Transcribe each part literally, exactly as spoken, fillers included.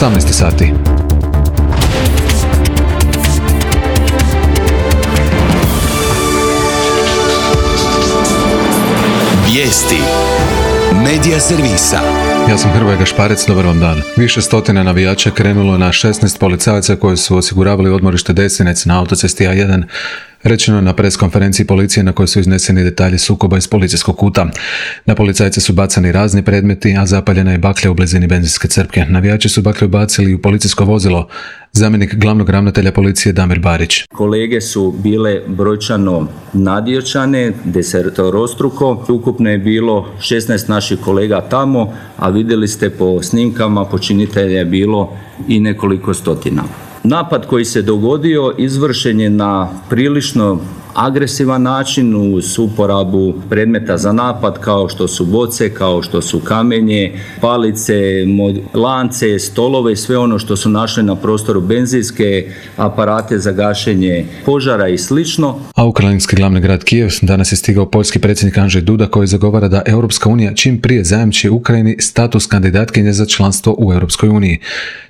osamnaest sati. Vijesti Medija servisa. Ja sam Hrvoje Gašparec, dobar vam dan. Više stotina navijača krenulo na šesnaest policajaca koji su osiguravali odmorište Desinec na autocesti A jedan. Rečeno je na preskonferenciji policije na kojoj su izneseni detalji sukoba iz policijskog kuta. Na policajce su bacani razni predmeti, a zapaljena je baklja u blizini benzinske crpke. Navijači su baklju bacili u policijsko vozilo. Zamjenik glavnog ravnatelja policije Damir Barić. Kolege su bile brojčano nadjačane, desetorostruko. Ukupno je bilo šesnaest naših kolega tamo, a vidjeli ste po snimkama počinitelja je bilo i nekoliko stotina. Napad koji se dogodio izvršen je na prilično agresivan način uz uporabu predmeta za napad kao što su boce, kao što su kamenje, palice, lance, stolove i sve ono što su našli na prostoru, benzinske aparate za gašenje požara i slično. A ukrajinski glavni grad Kijev danas je stigao poljski predsjednik Andrzej Duda koji zagovara da Europska unija čim prije zajamči Ukrajini status kandidatkinje za članstvo u Europskoj uniji.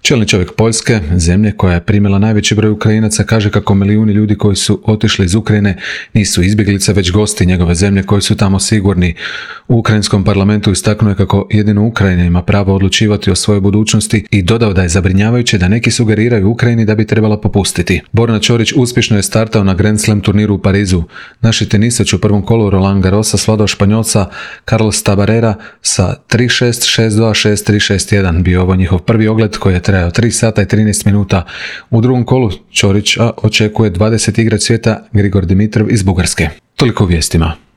Čelni čovjek Poljske, zemlje koja je primila najveći broj Ukrajinaca, kaže kako milijuni ljudi koji su otišli iz Ukrajine nisu izbjeglice, već gosti njegove zemlje koji su tamo sigurni. U ukrajinskom parlamentu istaknuo je kako jedino Ukrajina ima pravo odlučivati o svojoj budućnosti i dodao da je zabrinjavajuće da neki sugeriraju Ukrajini da bi trebala popustiti. Borna Ćorić uspješno je startao na Grand Slam turniru u Parizu. Naši tenisač u prvom kolu Roland Garrosa svladao Španjolca Carlos Tabarera sa tri šest, šest dva, šest tri, šest jedan. Bio ovo njihov prvi ogled koji je trajao tri sata i trinaest minuta. U drugom kolu Ćorića očekuje dvadeset igrač svijeta Grigor Dimitrov iz Bugarske. Toliko u vijestima.